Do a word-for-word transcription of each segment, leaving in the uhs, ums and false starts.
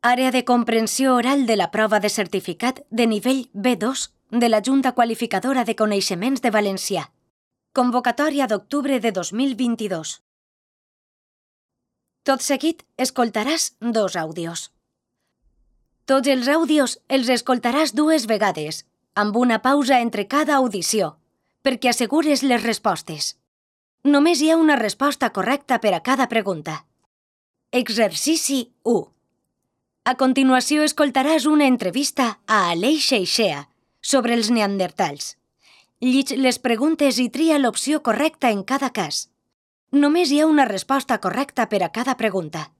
Àrea de comprensió oral de la prova de certificat de nivell B dos de la Junta Qualificadora de Coneixements de Valencià. Convocatòria d'octubre de dos mil vint-i-dos. Tot seguit, escoltaràs dos àudios. Tots els àudios els escoltaràs dues vegades, amb una pausa entre cada audició, perquè assegures les respostes. Només hi ha una resposta correcta per a cada pregunta. Exercici u. A continuació escoltaràs una entrevista a Aleix Aixea sobre els neandertals. Llig les preguntes i tria l'opció correcta en cada cas. Només hi ha una resposta correcta per a cada pregunta.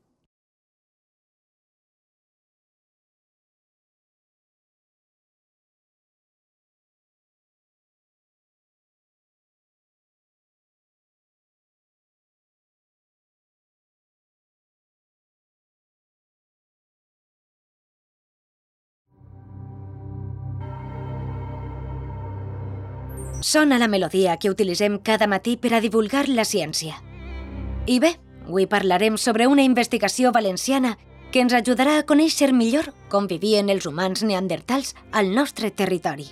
Sona la melodia que utilitzem cada matí per a divulgar la ciència. I bé, avui parlarem sobre una investigació valenciana que ens ajudarà a conèixer millor com vivien els humans neandertals al nostre territori.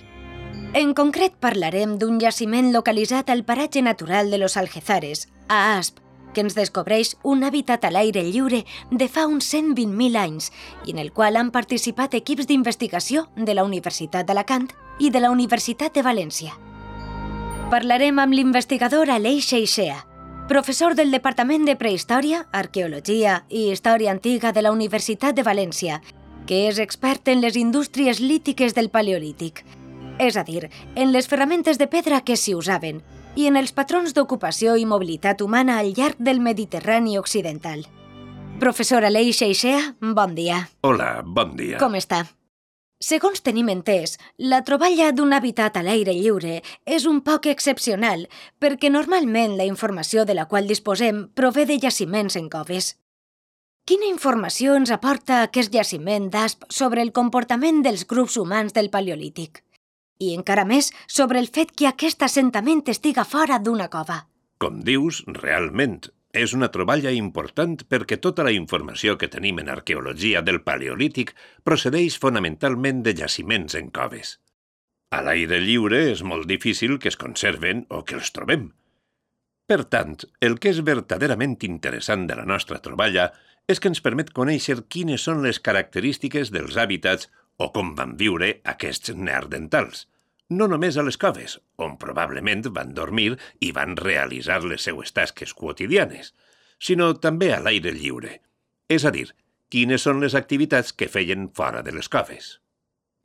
En concret parlarem d'un jaciment localitzat al paratge natural de los Algezares, a Asp, que ens descobreix un hàbitat a l'aire lliure de fa uns cent vint mil anys i en el qual han participat equips d'investigació de la Universitat d'Alacant i de la Universitat de València. Parlarem amb l'investigador Aleix Aixea, professor del Departament de Prehistòria, Arqueologia i Història Antiga de la Universitat de València, que és expert en les indústries lítiques del Paleolític, és a dir, en les ferramentes de pedra que s'hi usaven i en els patrons d'ocupació i mobilitat humana al llarg del Mediterrani occidental. Professor Aleix Aixea, bon dia. Hola, bon dia. Com està? Segons tenim entès, la troballa d'un hàbitat a l'aire lliure és un poc excepcional perquè normalment la informació de la qual disposem prové de jaciments en coves. Quina informació ens aporta aquest jaciment d'Asp sobre el comportament dels grups humans del Paleolític? I encara més sobre el fet que aquest assentament estiga fora d'una cova. Com dius, realment, és una troballa important perquè tota la informació que tenim en arqueologia del Paleolític procedeix fonamentalment de jaciments en coves. A l'aire lliure és molt difícil que es conserven o que els trobem. Per tant, el que és verdaderament interessant de la nostra troballa és que ens permet conèixer quines són les característiques dels hàbitats o com van viure aquests neandertals. No només a les coves, on probablement van dormir i van realitzar les seues tasques quotidianes, sinó també a l'aire lliure, és a dir, quines són les activitats que feien fora de les coves.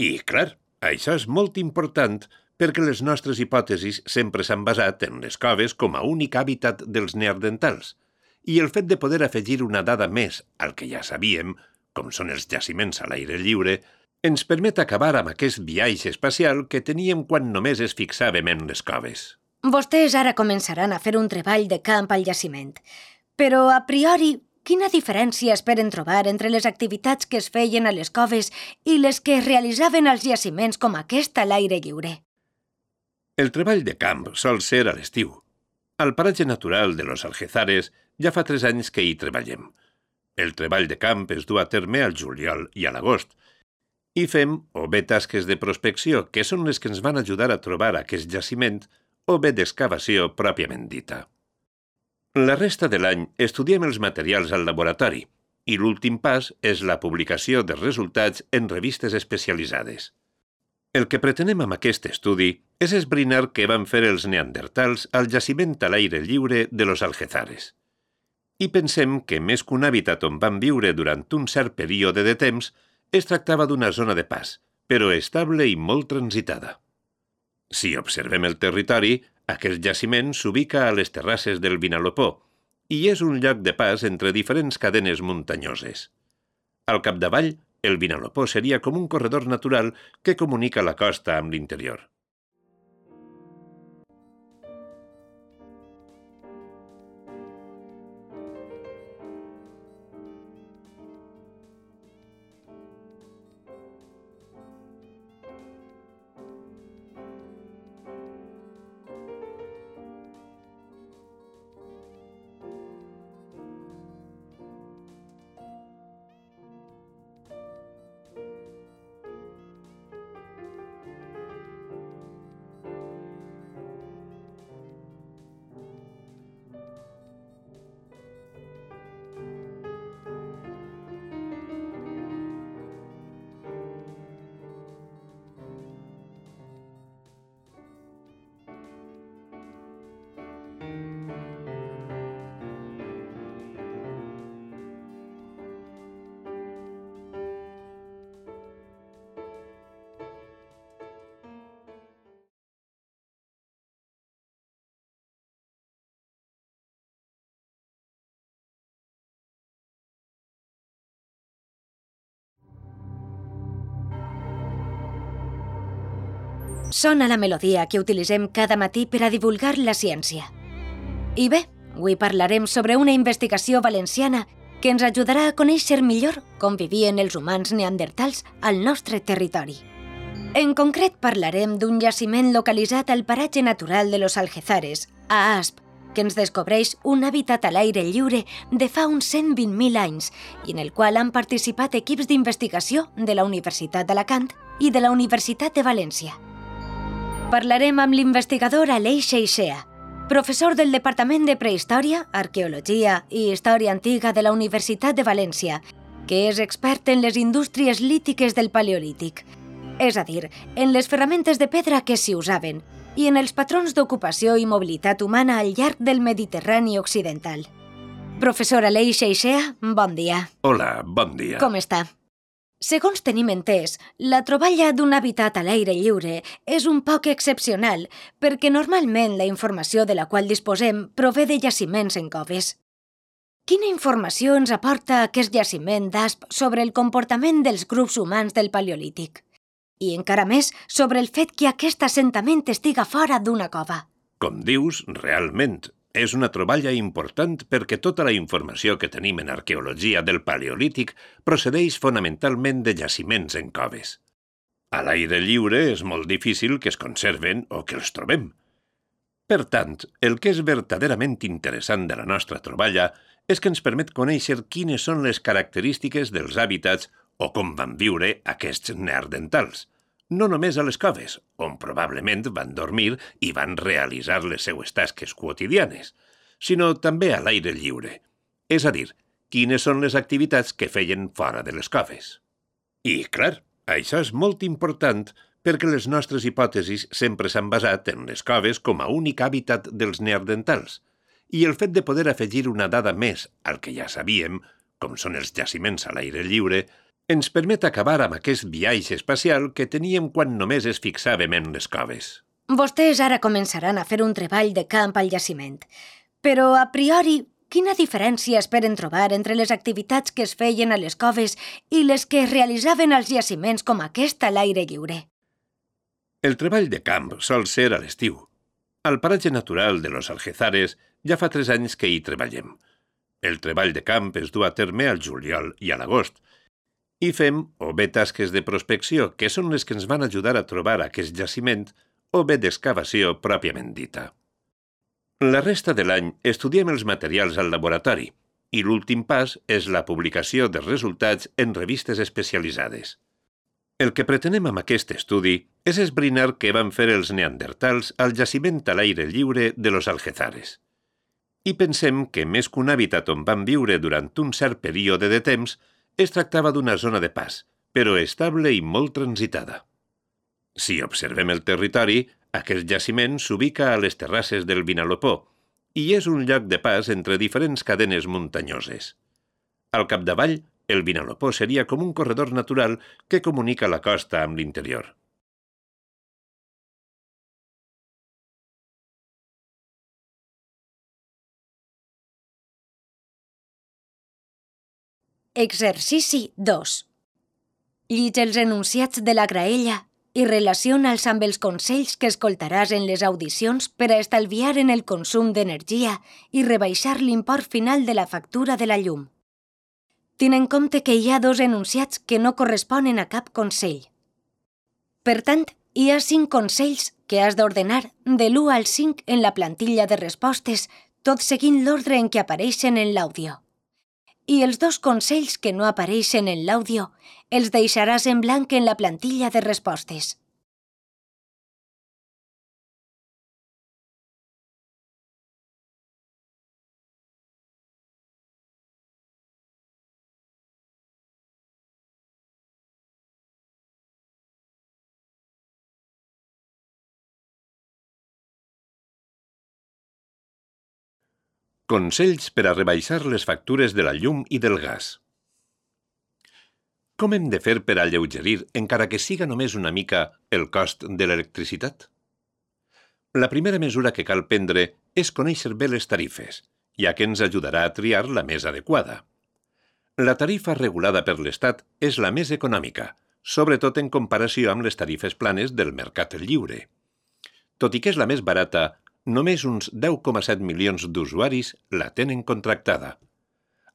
I, clar, això és molt important perquè les nostres hipòtesis sempre s'han basat en les coves com a únic hàbitat dels neandertals, i el fet de poder afegir una dada més al que ja sabíem, com són els jaciments a l'aire lliure, ens permet acabar amb aquest viatge espacial que teníem quan només es fixàvem en les coves. Vostès ara començaran a fer un treball de camp al jaciment. Però, a priori, quina diferència esperen trobar entre les activitats que es feien a les coves i les que es realitzaven als jaciments com aquest a l'aire lliure? El treball de camp sol ser a l'estiu. Al paratge natural de los Algezares ja fa tres anys que hi treballem. El treball de camp es du a terme al juliol i a l'agost, i fem o bé tasques de prospecció, que són les que ens van ajudar a trobar aquest jaciment, o bé d'excavació pròpiament dita. La resta de l'any estudiem els materials al laboratori, i l'últim pas és la publicació de resultats en revistes especialitzades. El que pretenem amb aquest estudi és esbrinar què van fer els neandertals al jaciment a l'aire lliure de los Algezares. I pensem que més que un hàbitat on van viure durant un cert període de temps, es tractava d'una zona de pas, però estable i molt transitada. Si observem el territori, aquest jaciment s'ubica a les terrasses del Vinalopó i és un lloc de pas entre diferents cadenes muntanyoses. Al capdavall, el Vinalopó seria com un corredor natural que comunica la costa amb l'interior. Sona la melodia que utilitzem cada matí per a divulgar la ciència. I bé, avui parlarem sobre una investigació valenciana que ens ajudarà a conèixer millor com vivien els humans neandertals al nostre territori. En concret parlarem d'un jaciment localitzat al paratge natural de los Algezares, a Asp, que ens descobreix un hàbitat a l'aire lliure de fa uns cent vint mil anys i en el qual han participat equips d'investigació de la Universitat d'Alacant i de la Universitat de València. Parlarem amb l'investigador Aleix Aixea, professor del Departament de Prehistòria, Arqueologia i Història Antiga de la Universitat de València, que és expert en les indústries lítiques del Paleolític, és a dir, en les ferramentes de pedra que s'hi usaven i en els patrons d'ocupació i mobilitat humana al llarg del Mediterrani occidental. Professor Aleix Aixea, bon dia. Hola, bon dia. Com està? Segons tenim entès, la troballa d'un hàbitat a l'aire lliure és un poc excepcional perquè normalment la informació de la qual disposem prové de jaciments en coves. Quina informació ens aporta aquest jaciment d'Asp sobre el comportament dels grups humans del Paleolític? I encara més sobre el fet que aquest assentament estiga fora d'una cova. Com dius, realment, és una troballa important perquè tota la informació que tenim en arqueologia del Paleolític procedeix fonamentalment de jaciments en coves. A l'aire lliure és molt difícil que es conserven o que els trobem. Per tant, el que és verdaderament interessant de la nostra troballa és que ens permet conèixer quines són les característiques dels hàbitats o com van viure aquests neandertals. No només a les coves, on probablement van dormir i van realitzar les seues tasques quotidianes, sinó també a l'aire lliure, és a dir, quines són les activitats que feien fora de les coves. I, clar, això és molt important perquè les nostres hipòtesis sempre s'han basat en les coves com a únic hàbitat dels neandertals, i el fet de poder afegir una dada més al que ja sabíem, com són els jaciments a l'aire lliure, ens permet acabar amb aquest viatge espacial que teníem quan només es fixàvem en les coves. Vostès ara començaran a fer un treball de camp al jaciment. Però, a priori, quina diferència esperen trobar entre les activitats que es feien a les coves i les que es realitzaven als jaciments com aquest a l'aire lliure? El treball de camp sol ser a l'estiu. Al paratge natural de los Algezares ja fa tres anys que hi treballem. El treball de camp es du a terme al juliol i a l'agost, i fem o bé tasques de prospecció, que són les que ens van ajudar a trobar aquest jaciment, o bé d'excavació pròpiament dita. La resta de l'any estudiem els materials al laboratori, i l'últim pas és la publicació dels resultats en revistes especialitzades. El que pretenem amb aquest estudi és esbrinar què van fer els neandertals al jaciment a l'aire lliure de los Algezares. I pensem que més que un hàbitat on van viure durant un cert període de temps, es tractava d'una zona de pas, però estable i molt transitada. Si observem el territori, aquest jaciment s'ubica a les terrasses del Vinalopó i és un lloc de pas entre diferents cadenes muntanyoses. Al capdavall, el Vinalopó seria com un corredor natural que comunica la costa amb l'interior. Exercici dos. Llig els enunciats de la graella i relaciona'ls amb els consells que escoltaràs en les audicions per a estalviar en el consum d'energia i rebaixar l'import final de la factura de la llum. Ten en compte que hi ha dos enunciats que no corresponen a cap consell. Per tant, hi ha cinc consells que has d'ordenar de l'u al cinc en la plantilla de respostes, tot seguint l'ordre en què apareixen en l'àudio. I els dos consells que no apareixen en l'àudio els deixaràs en blanc en la plantilla de respostes. Consells per a rebaixar les factures de la llum i del gas. Com hem de fer per alleugerir, encara que siga només una mica, el cost de l'electricitat? La primera mesura que cal prendre és conèixer bé les tarifes, ja que ens ajudarà a triar la més adequada. La tarifa regulada per l'Estat és la més econòmica, sobretot en comparació amb les tarifes planes del mercat lliure. Tot i que és la més barata, només uns deu coma set milions d'usuaris la tenen contractada.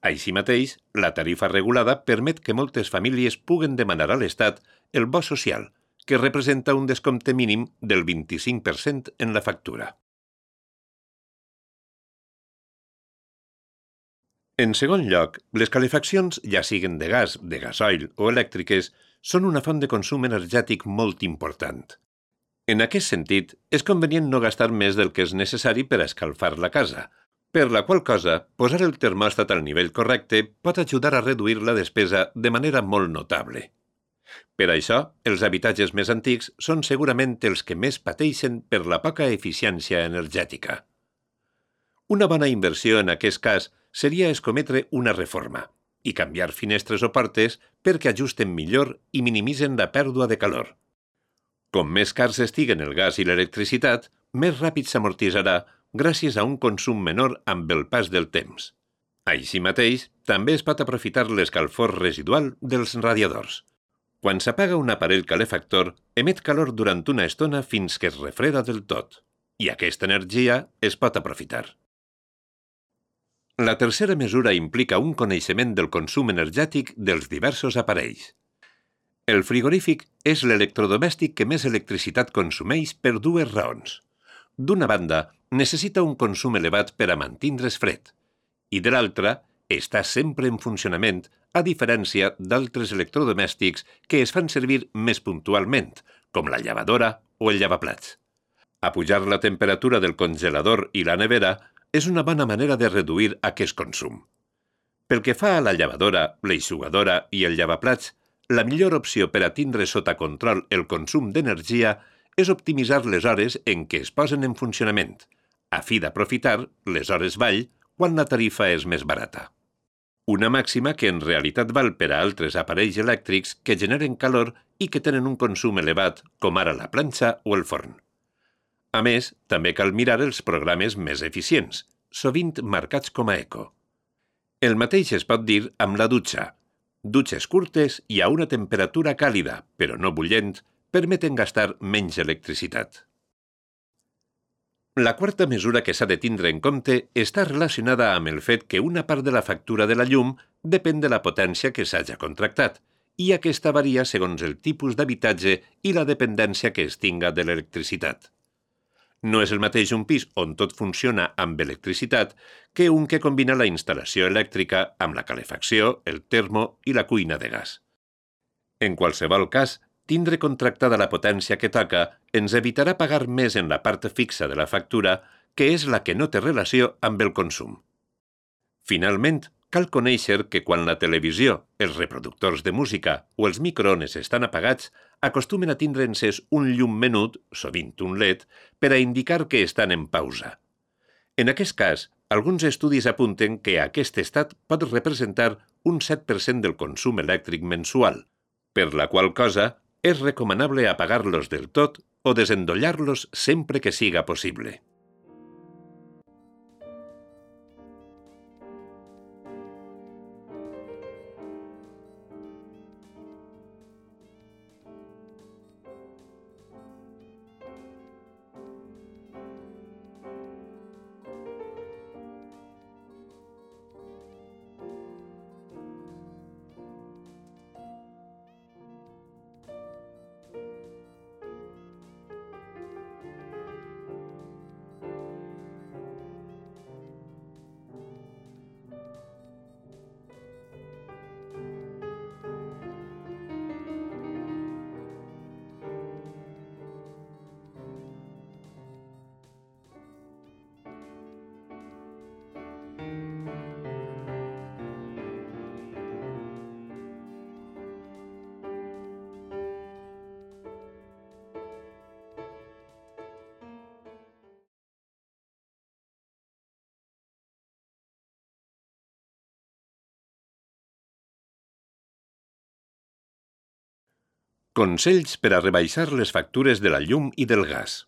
Així mateix, la tarifa regulada permet que moltes famílies puguen demanar a l'Estat el bo social, que representa un descompte mínim del vint-i-cinc per cent en la factura. En segon lloc, les calefaccions, ja siguen de gas, de gasoil o elèctriques, són una font de consum energètic molt important. En aquest sentit, és convenient no gastar més del que és necessari per a escalfar la casa, per la qual cosa, posar el termòstat al nivell correcte pot ajudar a reduir la despesa de manera molt notable. Per això, els habitatges més antics són segurament els que més pateixen per la poca eficiència energètica. Una bona inversió en aquest cas seria escometre una reforma i canviar finestres o portes perquè ajusten millor i minimitzen la pèrdua de calor. Com més cars estiguen el gas i l'electricitat, més ràpid s'amortitzarà gràcies a un consum menor amb el pas del temps. Així mateix, també es pot aprofitar l'escalfor residual dels radiadors. Quan s'apaga un aparell calefactor, emet calor durant una estona fins que es refreda del tot, i aquesta energia es pot aprofitar. La tercera mesura implica un coneixement del consum energètic dels diversos aparells. El frigorífic és l'electrodomèstic que més electricitat consumeix per dues raons. D'una banda, necessita un consum elevat per a mantindre's fred, i de l'altra, està sempre en funcionament, a diferència d'altres electrodomèstics que es fan servir més puntualment, com la llevadora o el llevaplats. Apujar la temperatura del congelador i la nevera és una bona manera de reduir aquest consum. Pel que fa a la llevadora, l'eixugadora i el llevaplats, la millor opció per a tindre sota control el consum d'energia és optimitzar les hores en què es posen en funcionament, a fi d'aprofitar les hores vall quan la tarifa és més barata. Una màxima que en realitat val per a altres aparells elèctrics que generen calor i que tenen un consum elevat, com ara la planxa o el forn. A més, també cal mirar els programes més eficients, sovint marcats com a eco. El mateix es pot dir amb la dutxa. Dutxes curtes i a una temperatura càlida, però no bullent, permeten gastar menys electricitat. La quarta mesura que s'ha de tindre en compte està relacionada amb el fet que una part de la factura de la llum depèn de la potència que s'haja contractat, i aquesta varia segons el tipus d'habitatge i la dependència que es tinga de l'electricitat. No és el mateix un pis on tot funciona amb electricitat que un que combina la instal·lació elèctrica amb la calefacció, el termo i la cuina de gas. En qualsevol cas, tindre contractada la potència que toca ens evitarà pagar més en la part fixa de la factura, que és la que no té relació amb el consum. Finalment, cal conèixer que quan la televisió, els reproductors de música o els microones estan apagats, acostumen a tindre encès un llum menut, sovint un L E D, per a indicar que estan en pausa. En aquest cas, alguns estudis apunten que aquest estat pot representar un set per cent del consum elèctric mensual, per la qual cosa és recomanable apagar-los del tot o desendollar-los sempre que siga possible. Consells per a rebaixar les factures de la llum i del gas.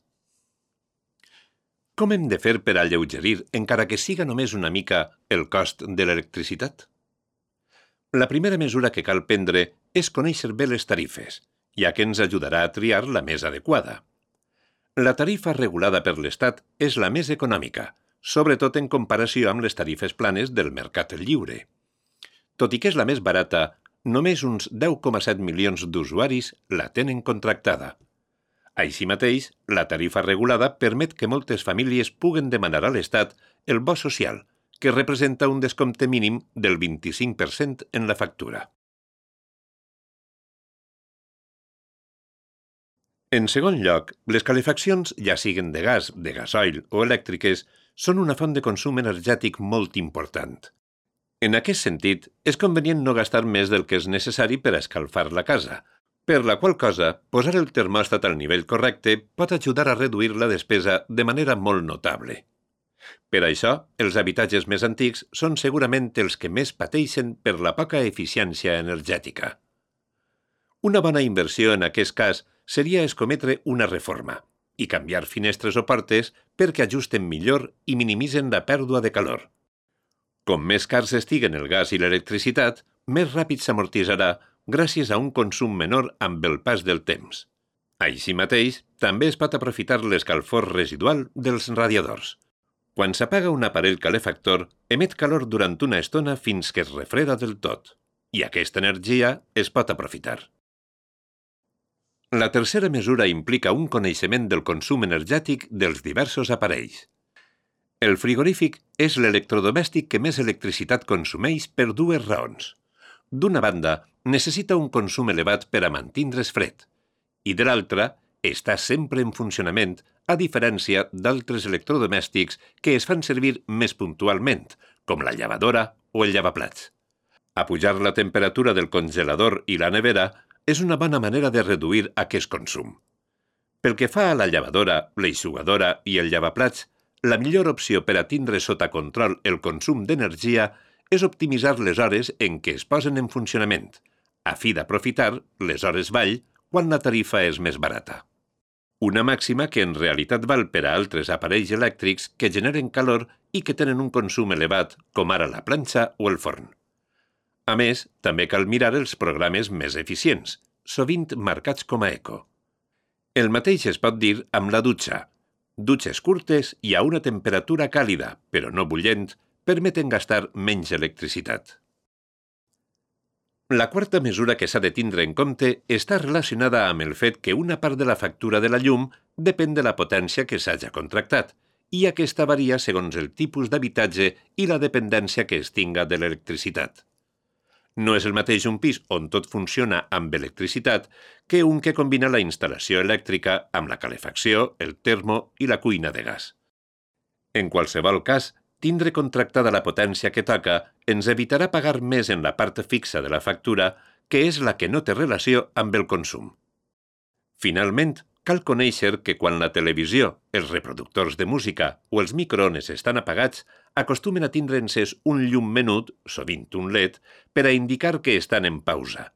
Com hem de fer per alleugerir, encara que siga només una mica, el cost de l'electricitat? La primera mesura que cal prendre és conèixer bé les tarifes, ja que ens ajudarà a triar la més adequada. La tarifa regulada per l'Estat és la més econòmica, sobretot en comparació amb les tarifes planes del mercat lliure. Tot i que és la més barata, només uns deu coma set milions d'usuaris la tenen contractada. Així mateix, la tarifa regulada permet que moltes famílies puguen demanar a l'Estat el bo social, que representa un descompte mínim del vint-i-cinc per cent en la factura. En segon lloc, les calefaccions, ja siguen de gas, de gasoil o elèctriques, són una font de consum energètic molt important. En aquest sentit, és convenient no gastar més del que és necessari per a escalfar la casa, per la qual cosa, posar el termòstat al nivell correcte pot ajudar a reduir la despesa de manera molt notable. Per això, els habitatges més antics són segurament els que més pateixen per la poca eficiència energètica. Una bona inversió en aquest cas seria escometre una reforma i canviar finestres o portes perquè ajusten millor i minimitzen la pèrdua de calor. Com més cars estiguen el gas i l'electricitat, més ràpid s'amortitzarà gràcies a un consum menor amb el pas del temps. Així mateix, també es pot aprofitar l'escalfor residual dels radiadors. Quan s'apaga un aparell calefactor, emet calor durant una estona fins que es refreda del tot, i aquesta energia es pot aprofitar. La tercera mesura implica un coneixement del consum energètic dels diversos aparells. El frigorífic és l'electrodomèstic que més electricitat consumeix per dues raons. D'una banda, necessita un consum elevat per a mantindre's fred, i de l'altra, està sempre en funcionament, a diferència d'altres electrodomèstics que es fan servir més puntualment, com la llevadora o el llevaplats. Apujar la temperatura del congelador i la nevera és una bona manera de reduir aquest consum. Pel que fa a la llevadora, l'eixugadora i el llevaplats, la millor opció per a tindre sota control el consum d'energia és optimitzar les hores en què es posen en funcionament, a fi d'aprofitar les hores vall quan la tarifa és més barata. Una màxima que en realitat val per a altres aparells elèctrics que generen calor i que tenen un consum elevat, com ara la planxa o el forn. A més, també cal mirar els programes més eficients, sovint marcats com a eco. El mateix es pot dir amb la dutxa. Dutxes curtes i a una temperatura càlida, però no bullent, permeten gastar menys electricitat. La quarta mesura que s'ha de tindre en compte està relacionada amb el fet que una part de la factura de la llum depèn de la potència que s'haja contractat, i aquesta varia segons el tipus d'habitatge i la dependència que es tinga de l'electricitat. No és el mateix un pis on tot funciona amb electricitat que un que combina la instal·lació elèctrica amb la calefacció, el termo i la cuina de gas. En qualsevol cas, tindre contractada la potència que toca ens evitarà pagar més en la part fixa de la factura, que és la que no té relació amb el consum. Finalment, cal conèixer que quan la televisió, els reproductors de música o els microones estan apagats, acostumen a tindre encès un llum menut, sovint un L E D, per a indicar que estan en pausa.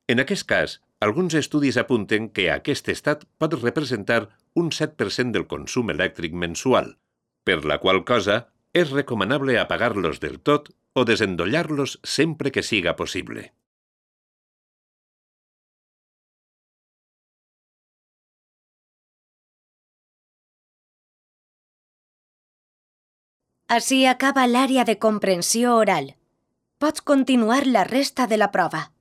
En aquest cas, alguns estudis apunten que aquest estat pot representar un set per cent del consum elèctric mensual, per la qual cosa és recomanable apagar-los del tot o desendollar-los sempre que siga possible. Així acaba l'àrea de comprensió oral. Pots continuar la resta de la prova.